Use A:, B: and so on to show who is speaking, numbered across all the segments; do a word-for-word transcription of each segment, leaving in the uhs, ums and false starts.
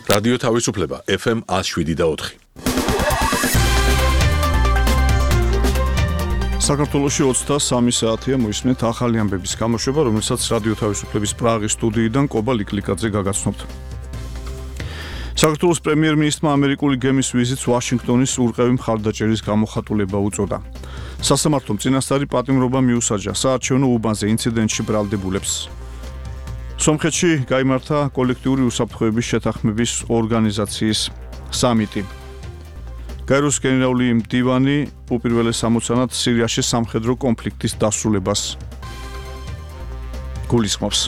A: რადიო თავისუფლება ეფ ემ ათს შვიდი და ოთხი.
B: საქართველოში ოცდასამი საათია მოისმენთ ახალი ამბების გამოშვება, რომელსაც რადიო თავისუფლების პრაღის სტუდიიდან კობა ლიკლიკაძე გაგაცნობთ. საქართველოს პრემიერ-მინისტრმა ამერიკული გემის ვიზიტს ვაშინგტონის ურყევი მხარდაჭერის გამოხატულება უწოდა. სასამართლომ წინასწარი პატიმრობა მიუსაჯა საარჩევნო უბანზე ინციდენტში ბრალდებულებს. სომხეთში გაიმართა კოლექტიური უსაფრთხოების შეთანხმების ორგანიზაციის სამიტი. გაეროს გენერალური მდივანი უპირველეს ამოცანად სირიაში სამხედრო კონფლიქტის დასრულებას გულისხმობს.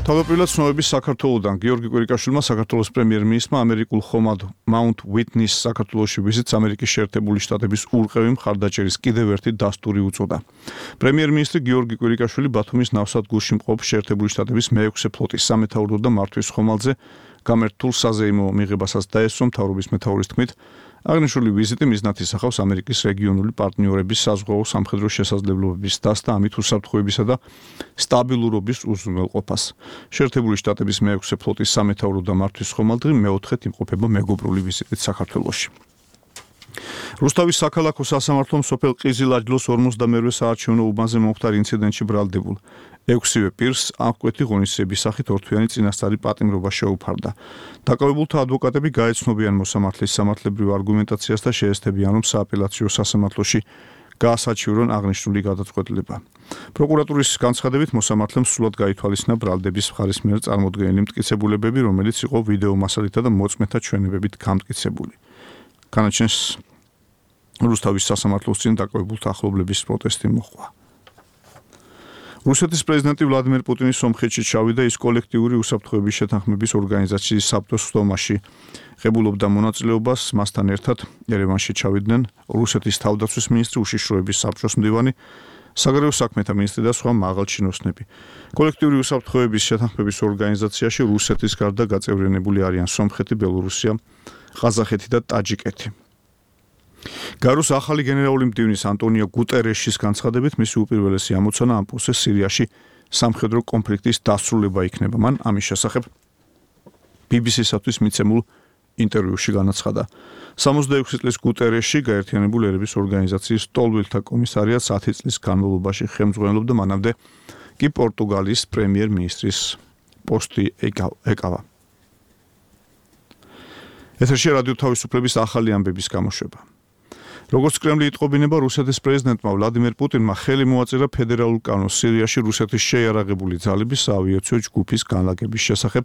B: თავდაპირველად ცნობების საქართველოდან გიორგი კვირიკაშვილმა საქართველოს პრემიერ-მინისტრმა ამერიკულ ხომალდ მაუნთ უიტნის საქართველოში ვიზიტს ამერიკის შეერთებული შტატების ურყევი მხარდაჭერის კიდევ ერთი დასტური უწოდა. პრემიერ-მინისტრი გიორგი კვირიკაშვილი ბათუმის ნავსადგურში მყოფ შეერთებული შტატების მეექვსე ფლოტის სამეთაურო და მართვის ხომალდზე გამერთულ საზეიმო მიღებასაც დაესწრო. მთავრობის მეთაურის თქმით, აღნიშნული ვიზიტი მიზნად ისახავს ამერიკის რეგიონული პარტნიორების საზღვაო სამხედრო შესაძლებლობების დასდა ამით უსაფრთხოებისა და სტაბილურობის უზრუნველყოფას. შეერთებული შტატების მეექვსე ფლოტის სამეთაურო და მართვის ხომალდი მეოთხედ იმყოფება მეგობრული ვიზიტით საქართველოში. რუსთავის საქალაქო სასამართლომ სოფელ ყიზილაჯლოს ორმოცდამეერთე საარჩევნო უბანზე მომხდარ ინციდენტში ბრალდებულ ექვსივე პირს აღკვეთი ღონისძიების სახით ორთვიანი წინასწარი პატიმრობა შეუფარდა. დაკავებულთა ადვოკატები გაეცნობიან მოსამართლის სამართლებრივ არგუმენტაციას და შეესწებიან, რომ სააპელაციო სასამართლოში გაასაჩივრონ აღნიშნული გადაწყვეტილება. პროკურატურის განცხადებით მოსამართლემ სრულად გაითვალისწინა ბრალდების მხარის მიერ წარმოდგენილი მტკიცებულებები, რომელიც იყო ვიდეო მასალითა და მოწმეთა ჩვენებებით გამტკიცებული. განაჩენს რუსთავის სასამართლოს წინ დაკავებულთა ახლობლების პროტესტი მოხდა. რუსეთის პრეზიდენტი ვლადიმერ პუტინი სომხეთში ჩავიდა, ის კოლექტიური უსაფრთხოების შეთანხმების ორგანიზაციის საბჭოს სხდომაში ღებულობდა მონაწილეობას. მასთან ერთად ერევანში ჩავიდნენ რუსეთის თავდაცვის მინისტრი, უშიშროების საბჭოს მდივანი, საგარეო საქმეთა მინისტრი და სხვა მაღალჩინოსნები. კოლექტიური უსაფრთხოების შეთანხმების ორგანიზაციაში რუსეთის გარდა გაწევრიანებული არიან სომხეთი, ბელორუსია, ყაზახეთი და ტაჯიკეთი. გაეროს ახალი გენერალური მდივნის ანტონიო გუტერეშის განცხადებით, მისი უპირველესი ამოცანა ამ პროცესს სირიაში სამხედრო კონფლიქტის დასრულება იქნება. მან ამის შესახებ ბი ბი სი-სათვის მიცემულ ინტერვიუში განაცხადა. სამოცდაექვსი წლის გუტერეში გაერთიანებული ერების ორგანიზაციის ტოლვილთა კომისარიატს ათი წლის განმავლობაში ხელმძღვანელობდა, მანამდე კი პორტუგალიის პრემიერ-მინისტრის პოსტი ეკავა. ეთერში რადიო თავისუფლების ახალი ამბების გამოშვება. როგორც კრემლი იტყობინება, რუსეთის პრეზიდენტმა ვლადიმერ პუტინმა ხელი მოაწერა ფედერალურ კანონს სირიაში რუსეთის შეიარაღებული ძალების საავიაციო ჯგუფის განლაგების შესახებ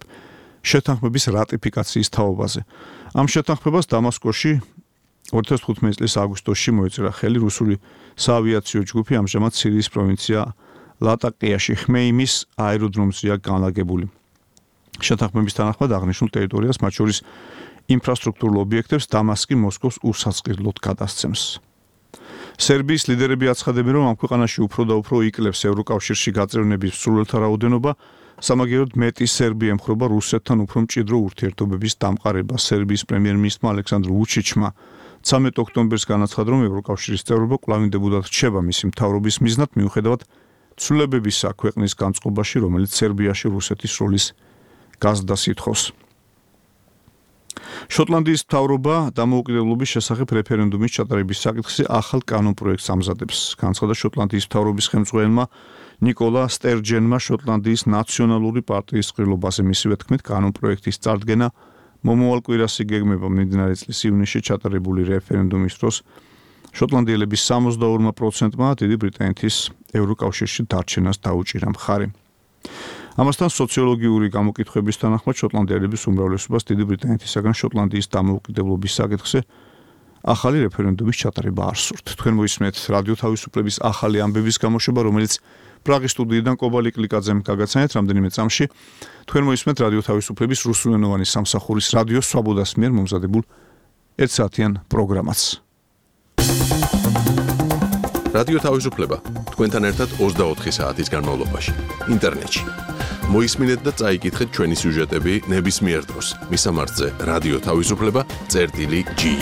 B: შეთანხმების რატიფიკაციის თაობაზე. ამ შეთანხმებას დამასკოში ორი ათას თხუთმეტი წლის აგვისტოში მოეწერა ხელი. რუსული საავიაციო ჯგუფი ამჟამად სირიის პროვინცია ლატაკიაში ხმეიმის აეროდრომზეა განლაგებული. შეთანხმების თანახმად აღნიშნულ ტერიტორიას, მათ შორის ინფრასტრუქტურულ ობიექტებს, დამასკი მოსკოვს უსაწყისლოდ გადასცემს. სერბიის ლიდერები აცხადებენ, რომ ამ ქვეყანაში უფრო და უფრო იკლებს ევროკავშირში გაწევრიანების მსურველთა რაოდენობა, სამაგიეროდ მეტი სერბი ემხრობა რუსეთთან უფრო მჭიდრო ურთიერთობების დამყარებას. სერბიის პრემიერ-მინისტრმა ალექსანდრ ვუჩიჩმა ცამეტ ოქტომბერს განაცხადა, რომ ევროკავშირის წევრობა კვლავინდებოდათ რჩება მისი მთავრობის მიზნად, მიუხედავად ცვლილებებისა ქვეყნის განწყობაში, რომელიც სერბიაში რუსეთის როლის გაზრდას ითხოვს. შოტლანდიის მთავრობა დამოუკიდებლობის შესახებ რეფერენდუმის ჩატარების საკითხზე ახალ კანონპროექტს ამზადებს. განაცხადა შოტლანდიის მთავრობის ხელმძღვანელმა ნიკოლა სტერჯენმა შოტლანდიის ნაციონალური პარტიის ყრილობაზე. მისივე თქმით, კანონპროექტის წარდგენა მომავალ კვირას იგეგმება. მიმდინარე წლის ივნისში ჩატარებული რეფერენდუმის დროს შოტლანდიელების სამოცდაორ პროცენტმა დიდი ბრიტანეთის ევროკავშირში დარჩენას დაუჭირა მხარი. ამასთან სოციოლოგიური გამოკითხვების თანახმად შოტლანდიელების უმრავლესობას დიდი ბრიტანეთისაგან შოტლანდიის დამოუკიდებლობის საკითხზე ახალი რეფერენდუმის ჩატარება არ სურთ. თქვენ მოისმენთ რადიო თავისუფლების ახალი ამბების გამოშვება, რომელიც პრაღის სტუდიიდან კობა ლიკლიკაძემ გაგაცანეთ რამდენიმე წამში. თქვენ მოისმენთ რადიო თავისუფლების რუსულენოვანი სამსახურის რადიო სვაბოდას მიერ მომზადებულ ერთსაათიან პროგრამას.
A: რადიო თავისუფლება თქვენთან ერთად ოცდაოთხი საათის განმავლობაში ინტერნეტში. მოისმინეთ და წაიკითხეთ ჩვენი სიუჟეტები ნებისმიერ დროს. მისამართზე რადიო თავისუფლება წერტილი ჯი.